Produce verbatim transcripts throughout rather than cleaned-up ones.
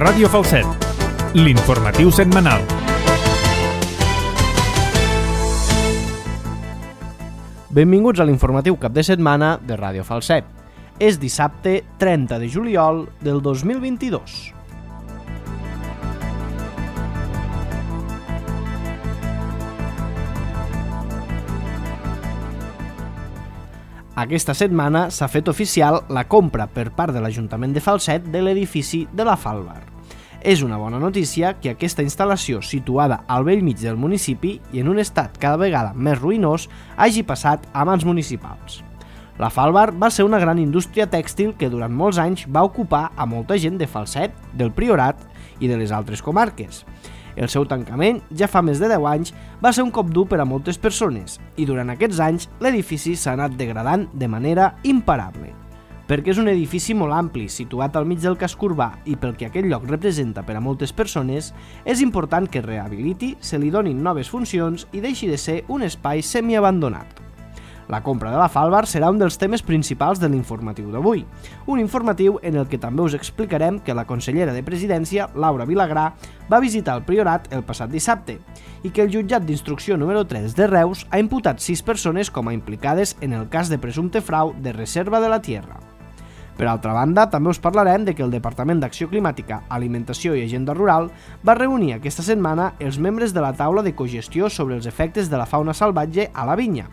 Ràdio Falset, l'informatiu setmanal. Benvinguts a l'informatiu cap de setmana de Ràdio Falset. És dissabte trenta de juliol del dos mil vint-i-dos. Aquesta setmana s'ha fet oficial la compra per part de l'Ajuntament de Falset de l'edifici de la Falbar. És una bona notícia que aquesta instal·lació, situada al bell mig del municipi i en un estat cada vegada més ruïnós, hagi passat a mans municipals. La Falbar va ser una gran indústria tèxtil que durant molts anys va ocupar a molta gent de Falset, del Priorat i de les altres comarques. El seu tancament, ja fa més de deu anys, va ser un cop dur per a moltes persones i durant aquests anys l'edifici s'ha anat degradant de manera imparable. Perquè és un edifici molt ampli, situat al mig del casc urbà i pel que aquest lloc representa per a moltes persones, és important que es rehabiliti, se li donin noves funcions i deixi de ser un espai semiabandonat. La compra de la Falbar serà un dels temes principals de l'informatiu d'avui, un informatiu en el que també us explicarem que la consellera de Presidència, Laura Vilagrà, va visitar el Priorat el passat dissabte i que el jutjat d'instrucció número tres de Reus ha imputat sis persones com a implicades en el cas de presumpte frau de reserva de la tierra. Per altra banda, també us parlarem de que el Departament d'Acció Climàtica, Alimentació i Agenda Rural va reunir aquesta setmana els membres de la taula de cogestió sobre els efectes de la fauna salvatge a la vinya.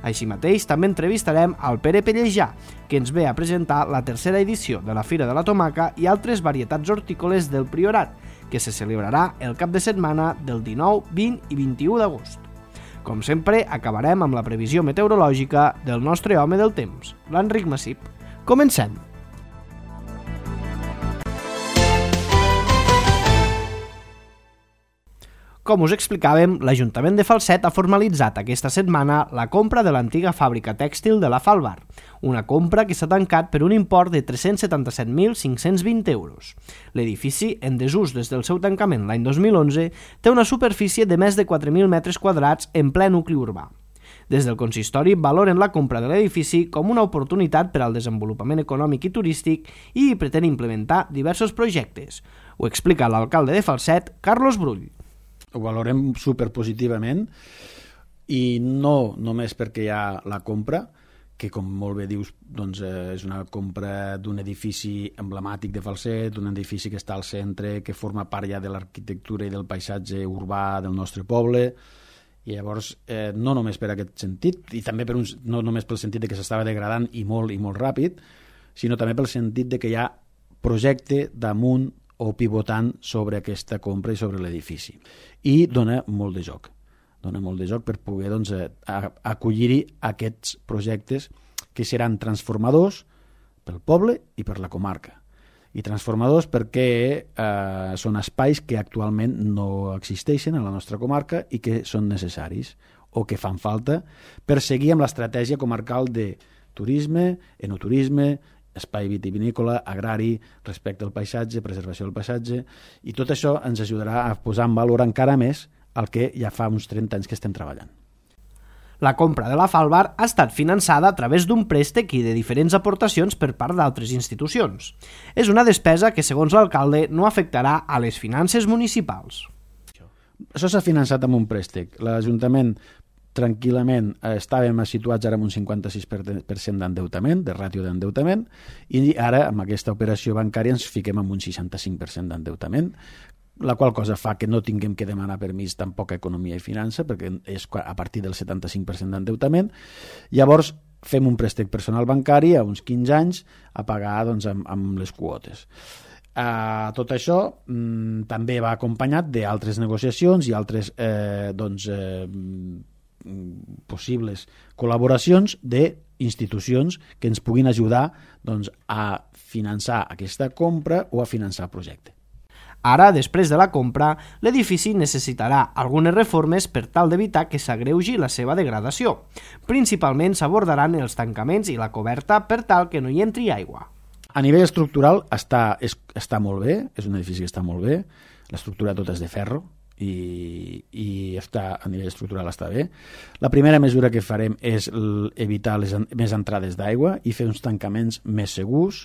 Així mateix, també entrevistarem al Pere Pellejà, que ens ve a presentar la tercera edició de la Fira de la Tomaca i altres varietats hortícoles del Priorat, que se celebrarà el cap de setmana del dinou, vint i vint-i-u d'agost. Com sempre, acabarem amb la previsió meteorològica del nostre home del temps, l'Enric Massip. Comencem! Com us explicàvem, l'Ajuntament de Falset ha formalitzat aquesta setmana la compra de l'antiga fàbrica tèxtil de la Falbar, una compra que s'ha tancat per un import de tres-cents setanta-set mil cinc-cents vint euros. L'edifici, en desús des del seu tancament l'any dos mil onze, té una superfície de més de quatre mil metres quadrats en ple nucli urbà. Des del consistori valoren la compra de l'edifici com una oportunitat per al desenvolupament econòmic i turístic i hi pretén implementar diversos projectes. Ho explica l'alcalde de Falset, Carlos Brull. Ho valorem superpositivament i no només perquè hi ha la compra, que com molt bé dius doncs, eh, és una compra d'un edifici emblemàtic de Falset, un edifici que està al centre, que forma part ja de l'arquitectura i del paisatge urbà del nostre poble, i llavors eh, no només per aquest sentit, i també per un, no només pel sentit de que s'estava degradant i molt i molt ràpid, sinó també pel sentit de que hi ha projecte damunt o pivotant sobre aquesta compra i sobre l'edifici. I dona molt de joc. Dona molt de joc per poder doncs, acollir-hi aquests projectes que seran transformadors pel poble i per la comarca. I transformadors perquè eh, són espais que actualment no existeixen a la nostra comarca i que són necessaris o que fan falta per seguir amb l'estratègia comarcal de turisme, enoturisme, espai vitivinícola, agrari, respecte al paisatge, preservació del paisatge, i tot això ens ajudarà a posar en valor encara més el que ja fa uns trenta anys que estem treballant. La compra de la Falbar ha estat finançada a través d'un préstec i de diferents aportacions per part d'altres institucions. És una despesa que, segons l'alcalde, no afectarà a les finances municipals. Això s'ha finançat amb un préstec. L'Ajuntament tranquil·lament eh, estàvem situats ara amb un cinquanta-sis per cent d'endeutament, de ràtio d'endeutament, i ara amb aquesta operació bancària ens fiquem amb un seixanta-cinc per cent d'endeutament, la qual cosa fa que no tinguem que demanar permís tampoc a Economia i Finança, perquè és a partir del setanta-cinc per cent d'endeutament. Llavors fem un préstec personal bancari a uns quinze anys a pagar doncs, amb, amb les quotes. Uh, tot això mm, també va acompanyat d'altres negociacions i altres eh, doncs, eh, possibles col·laboracions d'institucions que ens puguin ajudar doncs, a finançar aquesta compra o a finançar el projecte. Ara, després de la compra, l'edifici necessitarà algunes reformes per tal d'evitar que s'agreugi la seva degradació. Principalment s'abordaran els tancaments i la coberta per tal que no hi entri aigua. A nivell estructural està, és, està molt bé, és un edifici que està molt bé, l'estructura tota és de ferro, i, i està, a nivell estructural està bé. La primera mesura que farem és evitar les, més entrades d'aigua i fer uns tancaments més segurs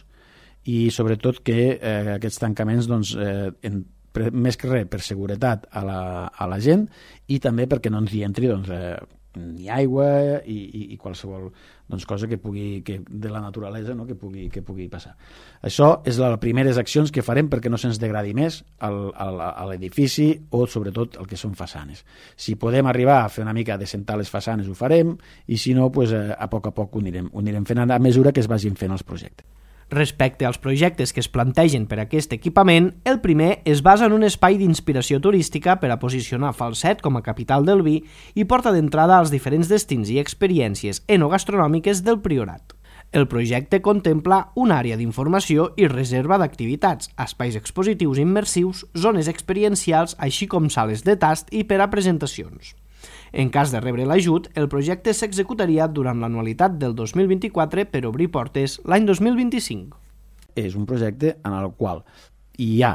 i sobretot que eh, aquests tancaments doncs, eh, en, per, més que res per seguretat a la, a la gent i també perquè no ens hi entri doncs, eh, ni aigua i, i, i qualsevol doncs, cosa que pugui, que de la naturalesa, no? que, pugui, que pugui passar. Això és les primeres accions que farem perquè no se'ns degradi més al, al, a l'edifici o sobretot el que són façanes. Si podem arribar a fer una mica de sentar les façanes ho farem i si no, pues, eh, a poc a poc ho anirem, ho anirem fent a mesura que es vagin fent els projectes. Respecte als projectes que es plantegen per a aquest equipament, el primer es basa en un espai d'inspiració turística per a posicionar Falset com a capital del vi i porta d'entrada als diferents destins i experiències enogastronòmiques del Priorat. El projecte contempla una àrea d'informació i reserva d'activitats, espais expositius immersius, zones experiencials, així com sales de tast i per a presentacions. En cas de rebre l'ajut, el projecte s'executaria durant l'anualitat del dos mil vint-i-quatre per obrir portes l'any dos mil vint-i-cinc. És un projecte en el qual hi ha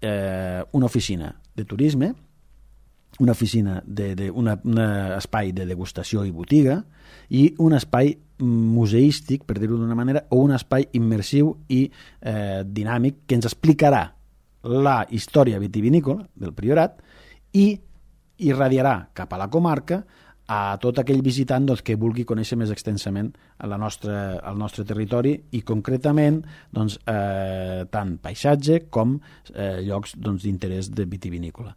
eh, una oficina de turisme, una oficina de, de una, un espai de degustació i botiga i un espai museístic, per dir-ho d'una manera, o un espai immersiu i eh, dinàmic que ens explicarà la història vitivinícola del Priorat i irradiarà cap a la comarca a tot aquell visitant doncs, que vulgui conèixer més extensament la nostra, el nostre territori i concretament doncs, eh, tant paisatge com eh, llocs doncs, d'interès de vitivinícola.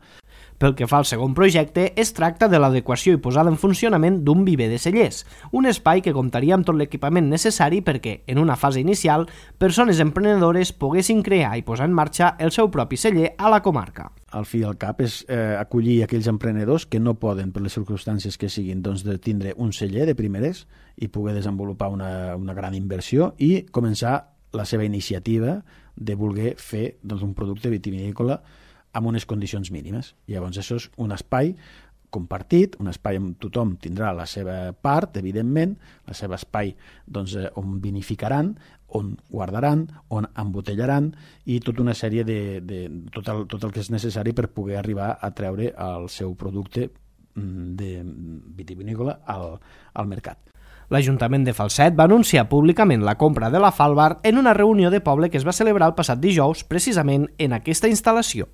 Pel que fa al segon projecte, es tracta de l'adequació i posada en funcionament d'un viver de cellers, un espai que comptaria amb tot l'equipament necessari perquè, en una fase inicial, persones emprenedores poguessin crear i posar en marxa el seu propi celler a la comarca. Al fi i al cap és eh, acollir aquells emprenedors que no poden, per les circumstàncies que siguin, doncs, de tindre un celler de primeres i poder desenvolupar una, una gran inversió i començar la seva iniciativa de voler fer doncs, un producte vitivinícola amb unes condicions mínimes. Llavors, això és un espai compartit, un espai on tothom tindrà la seva part, evidentment, el seu espai doncs, on vinificaran, on guardaran, on embotellaran i tota una sèrie de, de tot, el, tot el que és necessari per poder arribar a treure el seu producte de vitivinícola al, al mercat. L'Ajuntament de Falset va anunciar públicament la compra de la Falbar en una reunió de poble que es va celebrar el passat dijous precisament en aquesta instal·lació.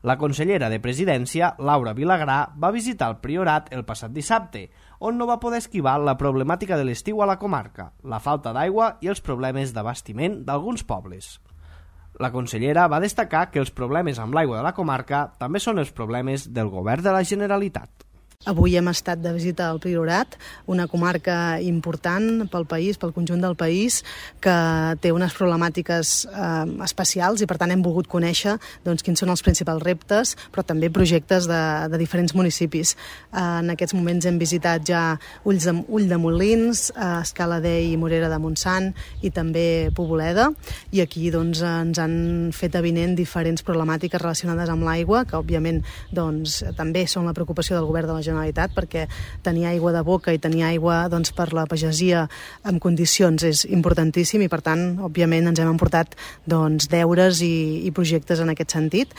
La consellera de Presidència, Laura Vilagrà, va visitar el Priorat el passat dissabte, on no va poder esquivar la problemàtica de l'estiu a la comarca, la falta d'aigua i els problemes d'abastiment d'alguns pobles. La consellera va destacar que els problemes amb l'aigua de la comarca també són els problemes del Govern de la Generalitat. Avui hem estat de visita al Priorat, una comarca important pel país, pel conjunt del país, que té unes problemàtiques eh, especials i per tant hem volgut conèixer doncs, quins són els principals reptes, però també projectes de, de diferents municipis. Eh, en aquests moments hem visitat ja Ulls de, Ull de Molins, eh, Escaladei i Morera de Montsant i també Poboleda, i aquí doncs, ens han fet avinent diferents problemàtiques relacionades amb l'aigua, que òbviament doncs, també són la preocupació del Govern de la Generalitat, perquè tenir aigua de boca i tenir aigua doncs, per la pagesia en condicions és importantíssim i per tant, òbviament, ens hem emportat doncs, deures i, i projectes en aquest sentit.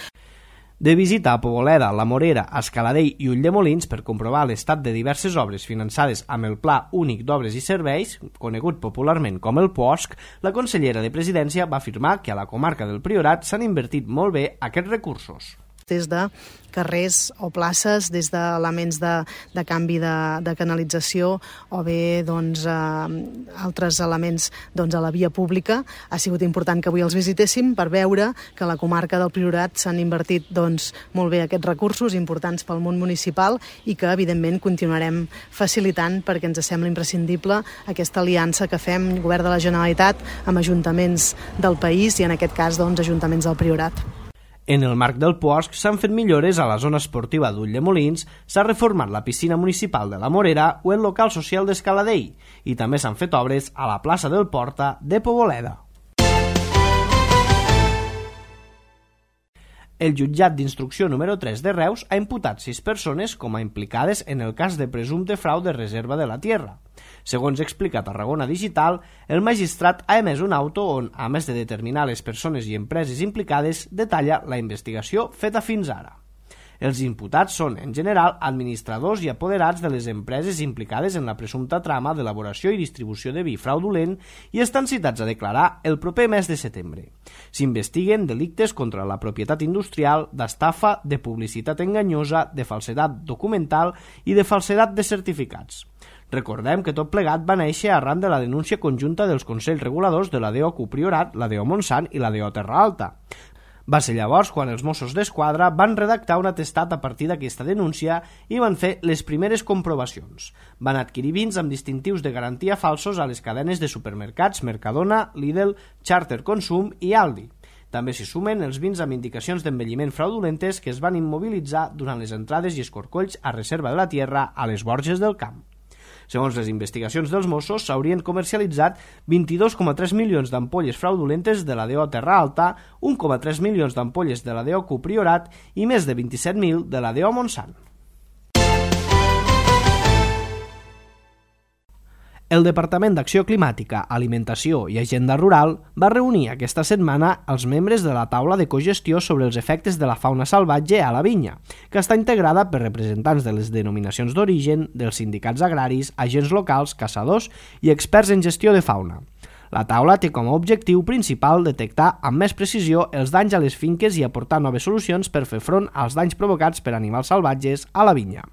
De visita a Poboleda, La Morera, Escaladei i Ulldemolins per comprovar l'estat de diverses obres finançades amb el Pla Únic d'Obres i Serveis, conegut popularment com el P O S C, la consellera de Presidència va afirmar que a la comarca del Priorat s'han invertit molt bé aquests recursos. Des de carrers o places, des d'elements de, de canvi de, de canalització o bé doncs, eh, altres elements doncs, a la via pública. Ha sigut important que avui els visitéssim per veure que a la comarca del Priorat s'han invertit doncs, molt bé aquests recursos importants pel món municipal i que evidentment continuarem facilitant perquè ens sembla imprescindible aquesta aliança que fem Govern de la Generalitat amb ajuntaments del país i en aquest cas doncs, ajuntaments del Priorat. En el marc del P O S C s'han fet millores a la zona esportiva d'Ulldemolins, s'ha reformat la piscina municipal de la Morera o el local social d'Escaladei i també s'han fet obres a la plaça del Porta de Poboleda. El jutjat d'instrucció número tres de Reus ha imputat sis persones com a implicades en el cas de presumpte frau de reserva de la tierra. Segons explica Tarragona Digital, el magistrat ha emès un auto on, a més de determinar les persones i empreses implicades, detalla la investigació feta fins ara. Els imputats són, en general, administradors i apoderats de les empreses implicades en la presumpta trama d'elaboració i distribució de vi fraudulent i estan citats a declarar el proper mes de setembre. S'investiguen delictes contra la propietat industrial, d'estafa, de publicitat enganyosa, de falsedat documental i de falsedat de certificats. Recordem que tot plegat va néixer arran de la denúncia conjunta dels Consells Reguladors de la D O Cupriorat, la D O Montsant i la D O Terra Alta. Va ser llavors quan els Mossos d'Esquadra van redactar un atestat a partir d'aquesta denúncia i van fer les primeres comprovacions. Van adquirir vins amb distintius de garantia falsos a les cadenes de supermercats Mercadona, Lidl, Charter Consum i Aldi. També s'hi sumen els vins amb indicacions d'envelliment fraudulentes que es van immobilitzar durant les entrades i escorcolls a Reserva de la Tierra a les Borges del Camp. Segons les investigacions dels Mossos, s'haurien comercialitzat vint-i-dos coma tres milions d'ampolles fraudulentes de la D O Terra Alta, un coma tres milions d'ampolles de la D O Cupriorat i més de vint-i-set mil de la D O Montsant. El Departament d'Acció Climàtica, Alimentació i Agenda Rural va reunir aquesta setmana els membres de la taula de cogestió sobre els efectes de la fauna salvatge a la vinya, que està integrada per representants de les denominacions d'origen, dels sindicats agraris, agents locals, caçadors i experts en gestió de fauna. La taula té com a objectiu principal detectar amb més precisió els danys a les finques i aportar noves solucions per fer front als danys provocats per animals salvatges a la vinya.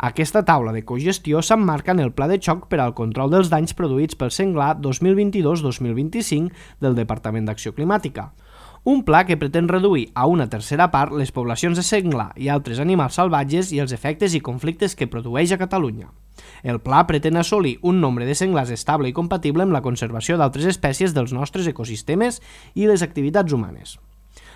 Aquesta taula de cogestió s'emmarca en el Pla de Xoc per al control dels danys produïts pel senglar dos mil vint-i-dos dos mil vint-i-cinc del Departament d'Acció Climàtica. Un pla que pretén reduir a una tercera part les poblacions de senglar i altres animals salvatges i els efectes i conflictes que produeix a Catalunya. El pla pretén assolir un nombre de senglars estable i compatible amb la conservació d'altres espècies dels nostres ecosistemes i les activitats humanes.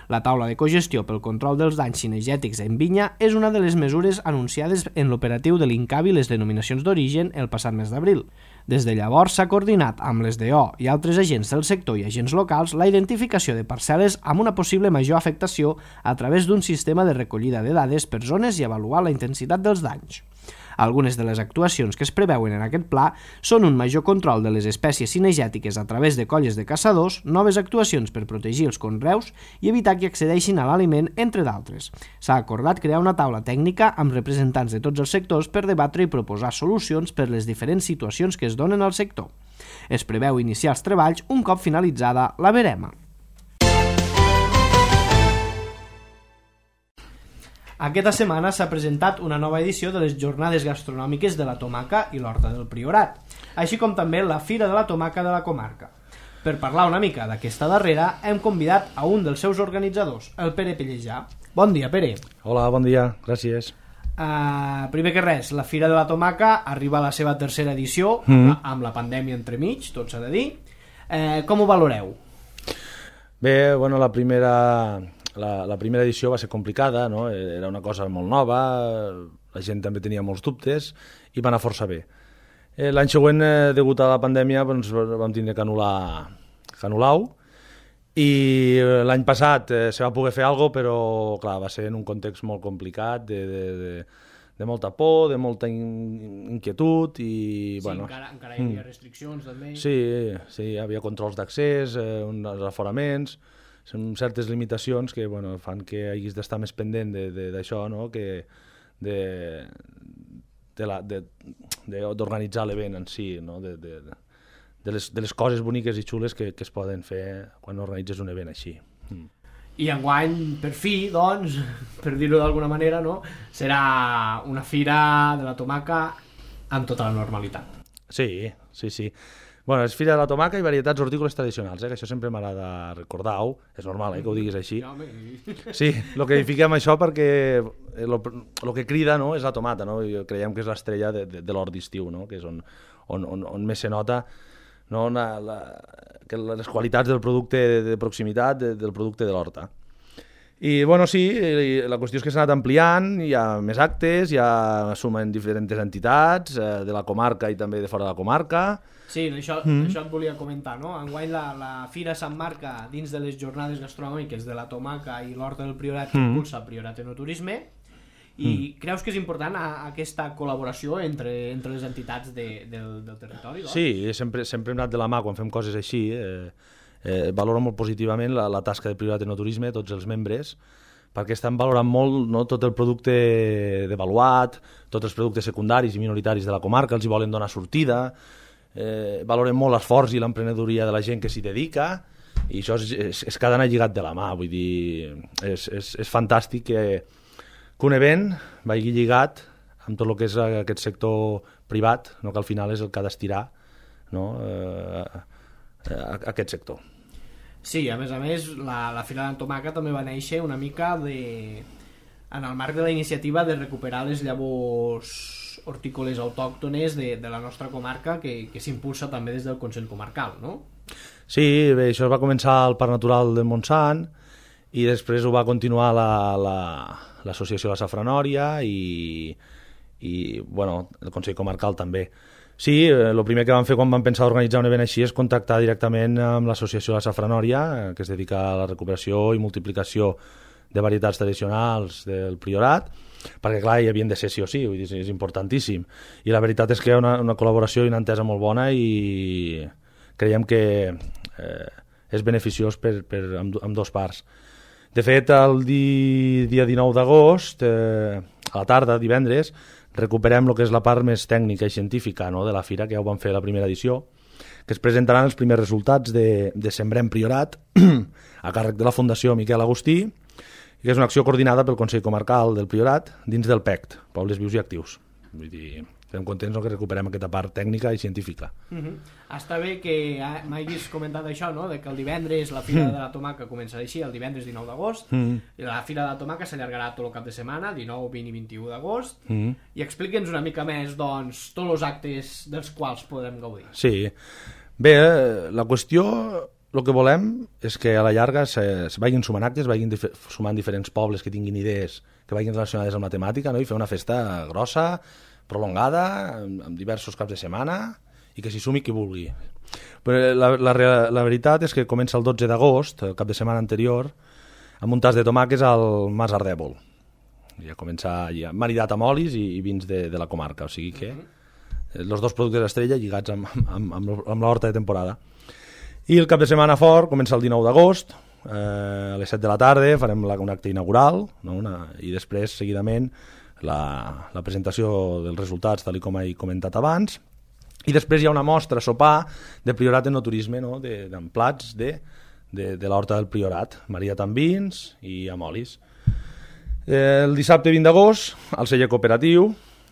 La taula de cogestió pel control dels danys cinegètics en vinya és una de les mesures anunciades en l'operatiu de l'INCAVI les denominacions d'origen el passat mes d'abril. Des de llavors s'ha coordinat amb les D O i altres agents del sector i agents locals la identificació de parcel·les amb una possible major afectació a través d'un sistema de recollida de dades per zones i avaluar la intensitat dels danys. Algunes de les actuacions que es preveuen en aquest pla són un major control de les espècies cinegètiques a través de colles de caçadors, noves actuacions per protegir els conreus i evitar que accedeixin a l'aliment, entre d'altres. S'ha acordat crear una taula tècnica amb representants de tots els sectors per debatre i proposar solucions per les diferents situacions que es donen al sector. Es preveu iniciar els treballs un cop finalitzada la verema. Aquesta setmana s'ha presentat una nova edició de les Jornades Gastronòmiques de la Tomaca i l'Horta del Priorat, així com també la Fira de la Tomaca de la comarca. Per parlar una mica d'aquesta darrera, hem convidat a un dels seus organitzadors, el Pere Pellejà. Bon dia, Pere. Hola, bon dia, gràcies. Uh, primer que res, la Fira de la Tomaca arriba a la seva tercera edició, mm. amb, la, amb la pandèmia entremig, tot s'ha de dir. Uh, com ho valoreu? Bé, bueno, la primera... La, la primera edició va ser complicada, no? Era una cosa molt nova, la gent també tenia molts dubtes i va anar força bé. Eh, L'any següent, eh, degut a la pandèmia, doncs, vam tindre que anul·lar, que anul·lar-ho i l'any passat eh, se va poder fer alguna cosa, però clar, va ser en un context molt complicat, de, de, de, de molta por, de molta in, inquietud i... Sí, bueno, encara, encara hi havia restriccions també. Sí, sí, hi havia controls d'accés, eh, uns aforaments... Són certes limitacions que bueno, fan que hagis d'estar més pendent d'això, no? Que de, de d'organitzar l'event en si, no? de, de, de, les, de les coses boniques i xules que, que es poden fer quan organitzes un event així. Mm. I enguany, per fi, doncs, per dir-ho d'alguna manera, no? Serà una fira de la tomaca amb tota la normalitat. Sí, sí, sí. Bueno, és Fira de la Tomaca i varietats hortícoles tradicionals, eh? Que això sempre m'agrada recordar-ho, és normal eh, que ho diguis així. Sí, el que fiquem això perquè el que crida no, és la tomata, no? I creiem que és l'estrella de, de, de l'hort d'estiu, no? Que és on, on, on, on més se nota no, una, la, que les qualitats del producte de, de proximitat de, del producte de l'horta. I bueno, sí, la qüestió és que s'ha anat ampliant, hi ha més actes, hi ha sumen diferents entitats eh, de la comarca i també de fora de la comarca. Sí, això, mm. això et volia comentar, no? Enguany la, la fira s'emmarca dins de les jornades gastronòmiques de la Tomaca i l'Horta del Priorat que mm. impulsa Priorat Enoturisme i mm. creus que és important a, a aquesta col·laboració entre, entre les entitats de, del, del territori? Doncs? Sí, sempre, sempre hem anat de la mà quan fem coses així. Eh, eh, valoro molt positivament la, la tasca de Priorat Enoturisme, tots els membres, perquè estan valorant molt, no, tot el producte devaluat, tots els productes secundaris i minoritaris de la comarca, els hi volen donar sortida, eh, valoren molt l'esforç i l'emprenedoria de la gent que s'hi dedica, i això és, és, és cada any lligat de la mà, vull dir, és, és, és fantàstic que, que un event vagi lligat amb tot el que és aquest sector privat, no, que al final és el que ha d'estirar, no, eh, a, a aquest sector. Sí, a més a més, la, la Fira d'Antomaca també va néixer una mica de, en el marc de la iniciativa de recuperar les llavors hortícoles autòctones de, de la nostra comarca, que, que s'impulsa també des del Consell Comarcal, no? Sí, bé, això va començar al Parc Natural del Montsant i després ho va continuar l'Associació la, la, La Safranòria i, i bueno, el Consell Comarcal també. Sí, el primer que vam fer quan vam pensar organitzar un event així és contactar directament amb l'Associació La Safranòria, que es dedica a la recuperació i multiplicació de varietats tradicionals del Priorat, perquè clar, hi havien de ser sí o sí, vull dir, és importantíssim. I la veritat és que hi ha una, una col·laboració i una entesa molt bona i creiem que eh, és beneficiós per, per amb, amb dos parts. De fet, el di, dia dinou d'agost, eh, a la tarda, divendres, recuperem el que és la part més tècnica i científica, no, de la fira, que ja ho vam fer a la primera edició, que es presentaran els primers resultats de, de Sembrem Priorat a càrrec de la Fundació Miquel Agustí, que és una acció coordinada pel Consell Comarcal del Priorat dins del P E C T, Pobles Vius i Actius. Vull dir, estem contents que recuperem aquesta part tècnica i científica. Uh -huh. Està bé que m'hagis comentat això, no? De que el divendres la Fira mm. de la Tomaca començarà així, el divendres dinou d'agost, mm. i la Fira de la Tomaca s'allargarà tot el cap de setmana, dinou, vint i vint-i-u d'agost, mm. i explica'ns una mica més, doncs, tots els actes dels quals podem gaudir. Sí. Bé, la qüestió, el que volem és que a la llarga se, se vagin sumant actes, vagin dif sumant diferents pobles que tinguin idees que vagin relacionades amb la temàtica, no? I fer una festa grossa, prolongada, amb, amb diversos caps de setmana, i que s'hi sumi qui vulgui. Però la, la, la veritat és que comença el dotze d'agost, el cap de setmana anterior, amb un tas de tomàquets al Mas Ardèvol. Ja comença ja maridat amb olis i, i vins de, de la comarca, o sigui que els dos productes d'estrella lligats amb, amb, amb, amb l'horta de temporada. I el cap de setmana fort comença el dinou d'agost, eh, a les set de la tarda farem la, un acte inaugural, no? una, i després, seguidament, la, la presentació dels resultats, tal com he comentat abans, i després hi ha una mostra, sopar, de Priorat en no turisme, no? de, amb plats de, de, de l'horta del Priorat, maridat amb vins i amb olis. Eh, el dissabte vint d'agost, al celler cooperatiu,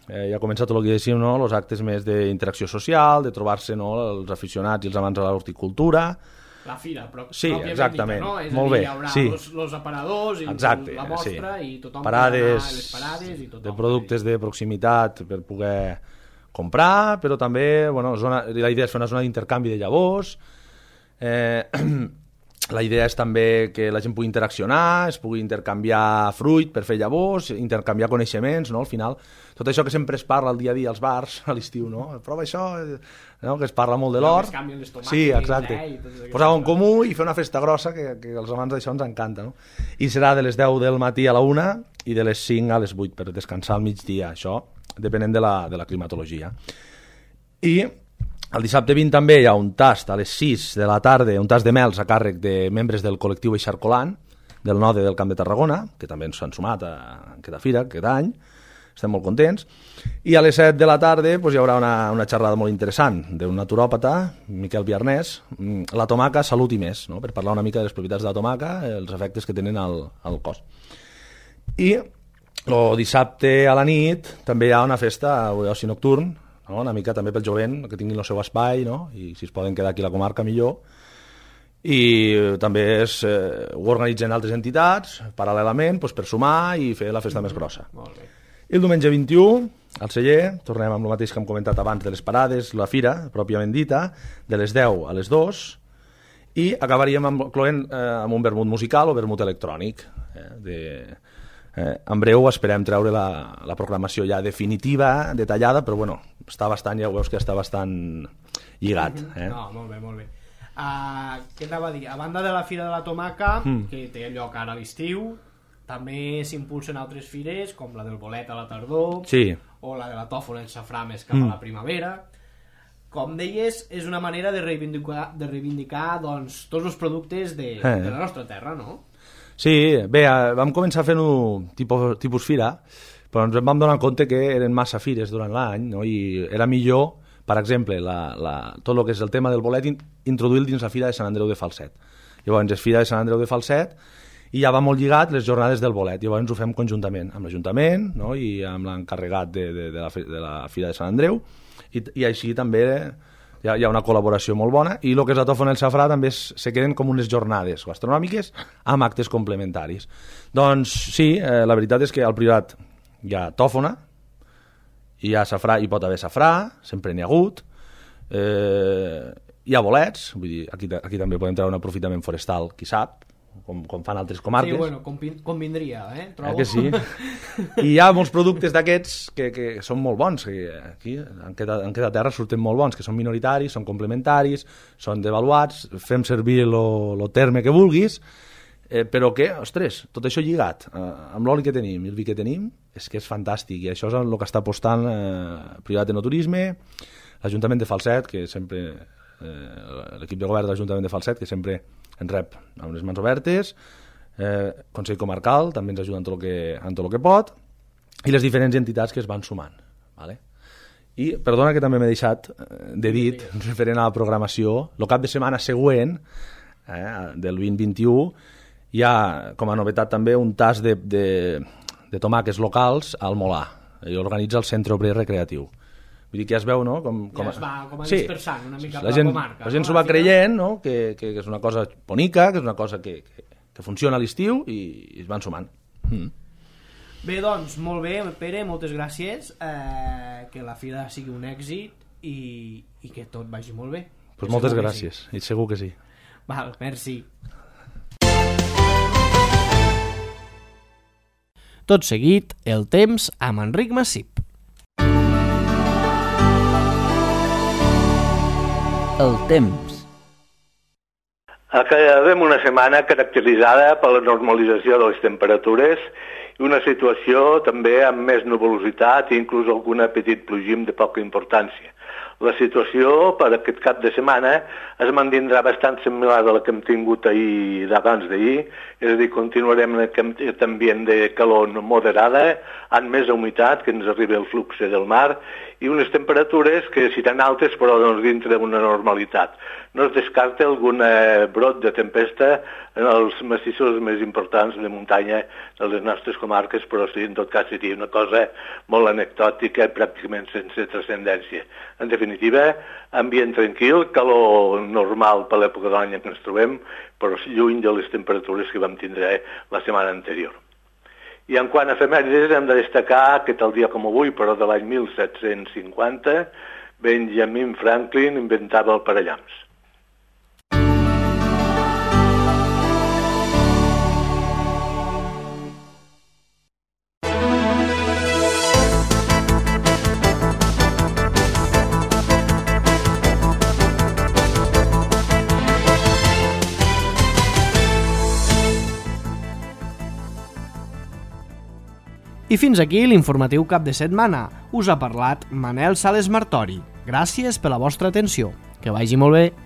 eh, ja ha començat tot el que dèiem, no? Els actes més d'interacció social, de trobar-se, no? Els aficionats i els amants de l'horticultura. La fira, però sí, exactament. Dita, no? És molt a dir, bé, hi haurà sí. els, els aparadors i exacte, la mostra sí. i tothom parades, podrà anar a les parades i tothom. De productes de proximitat per poder comprar, però també, bueno, zona, la idea és fer una zona d'intercanvi de llavors. Eh, la idea és també que la gent pugui interaccionar, es pugui intercanviar fruit per fer llavors, intercanviar coneixements, no? Al final, tot això que sempre es parla al dia a dia als bars, a l'estiu, no? Prova això, no? Que es parla molt de l'or. Sí, exacte. Eh? Posar-ho en comú i fer una festa grossa que, que els amants d'això ens encanta, no? I serà de les deu del matí a la una i de les cinc a les vuit per descansar al migdia, això depenent de la, de la climatologia. I el dissabte vint també hi ha un tast a les sis de la tarda, un tast de mels a càrrec de membres del col·lectiu Eixarcolant, del Node del Camp de Tarragona, que també ens han sumat a aquesta fira, aquest any, estem molt contents. I a les set de la tarda doncs, hi haurà una, una xerrada molt interessant d'un naturòpata, Miquel Viarnès, la tomaca, salut i més, no? Per parlar una mica de les propietats de la tomaca, els efectes que tenen al, al cos. I el dissabte a la nit també hi ha una festa d'oci nocturn, no? Una mica també pel jovent, que tinguin el seu espai, no? I si es poden quedar aquí a la comarca millor. I també es, eh, ho organitzen altres entitats paral·lelament doncs, per sumar i fer la festa mm-hmm. més grossa. Molt bé. I el diumenge vint-i-u, al celler, tornem amb el mateix que hem comentat abans de les parades, la fira, pròpiament dita, de les deu a les dues, i acabaríem amb, cloent, eh, amb un vermut musical o vermut electrònic. Eh, de, eh, en breu esperem treure la, la programació ja definitiva, detallada, però bueno, està bastant, ja ho veus que està bastant lligat. Eh? No, molt bé, molt bé. Uh, què t'anava a dir? A banda de la Fira de la Tomaca, mm. que té lloc ara a l'estiu, també s'impulsen altres fires, com la del bolet a la tardor, sí. o la de la tòfona en safrà més cap mm. a la primavera. Com deies, és una manera de reivindicar, de reivindicar doncs, tots els productes de, eh. de la nostra terra, no? Sí, bé, vam començar fent-ho tipus, tipus fira, però ens vam donar compte que eren massa fires durant l'any, no? I era millor, per exemple, la, la, tot el que és el tema del bolet, introduir-lo dins la Fira de Sant Andreu de Falset. Llavors és Fira de Sant Andreu de Falset i ja va molt lligat les jornades del bolet. Llavors ho fem conjuntament amb l'Ajuntament, no? I amb l'encarregat de, de, de, la, de la Fira de Sant Andreu, i, i així també hi ha, hi ha una col·laboració molt bona, i el que és la tòfona i el safrà també es, se queden com unes jornades gastronòmiques amb actes complementaris. Doncs sí, eh, la veritat és que al Priorat hi ha tòfona, hi ha safrà, hi pot haver safrà, sempre n'hi ha hagut, eh, hi ha bolets, vull dir, aquí, aquí també podem treure un aprofitament forestal, qui sap, com, com fan altres comarques. Sí, bueno, convindria, eh? Trobo. Eh que sí? I hi ha molts productes d'aquests que, que són molt bons, que aquí, en aquesta, en aquesta terra surten molt bons, que són minoritaris, són complementaris, són devaluats, fem servir el terme que vulguis, eh, però que, ostres, tot això lligat, eh, amb l'oli que tenim i el vi que tenim, és que és fantàstic, i això és el que està apostant eh, Privat de No Turisme, l'Ajuntament de Falset, que sempre, eh, l'equip de govern de l'Ajuntament de Falset, que sempre ens rep amb les mans obertes, eh, Consell Comarcal també ens ajuda en tot el que, en tot el que pot, i les diferents entitats que es van sumant. Vale? I perdona que també m'he deixat de dit, referent a la programació, el cap de setmana següent, eh, del vint vint-i-u, hi ha com a novetat també un tas de, de, de tomàquets locals al Molà, i organitza el Centre Obrer Recreatiu. Vull dir que ja es veu, no? Com, com... Ja es va com a sí, dispersant una mica la per gent, la comarca. La gent no? s'ho va creient, no? Que, que, que és una cosa bonica, que és una cosa que, que, que funciona a l'estiu, i, i es van sumant. Mm. Bé, doncs, molt bé, Pere, moltes gràcies, eh, que la fira sigui un èxit i, i que tot vagi molt bé. Pues moltes gràcies, sí. I segur que sí. Val, merci. Tot seguit, el temps amb Enric Massip. El temps. Acabem una setmana caracteritzada per la normalització de les temperatures i una situació també amb més nuvolositat i inclús algun petit plogim de poca importància. La situació per aquest cap de setmana es mantindrà bastant similar a la que hem tingut ahir d'abans d'ahir, és a dir, continuarem en aquest ambient de calor moderada, amb més humitat, que ens arriba el flux del mar, i unes temperatures que seran altes però doncs, dintre d'una normalitat. No es descarta algun brot de tempesta en els massissos més importants de muntanya de les nostres comarques, però sí, en tot cas seria una cosa molt anecdòtica, pràcticament sense transcendència. En definitiva, ambient tranquil, calor normal per l'època de l'any en què ens trobem, però lluny de les temperatures que vam tindre la setmana anterior. I en quant a efemèrides hem de destacar que tal dia com avui, però de l'any mil set-cents cinquanta, Benjamin Franklin inventava el parellams. I fins aquí l'informatiu cap de setmana. Us ha parlat Manel Sales Martori. Gràcies per la vostra atenció. Que vagi molt bé.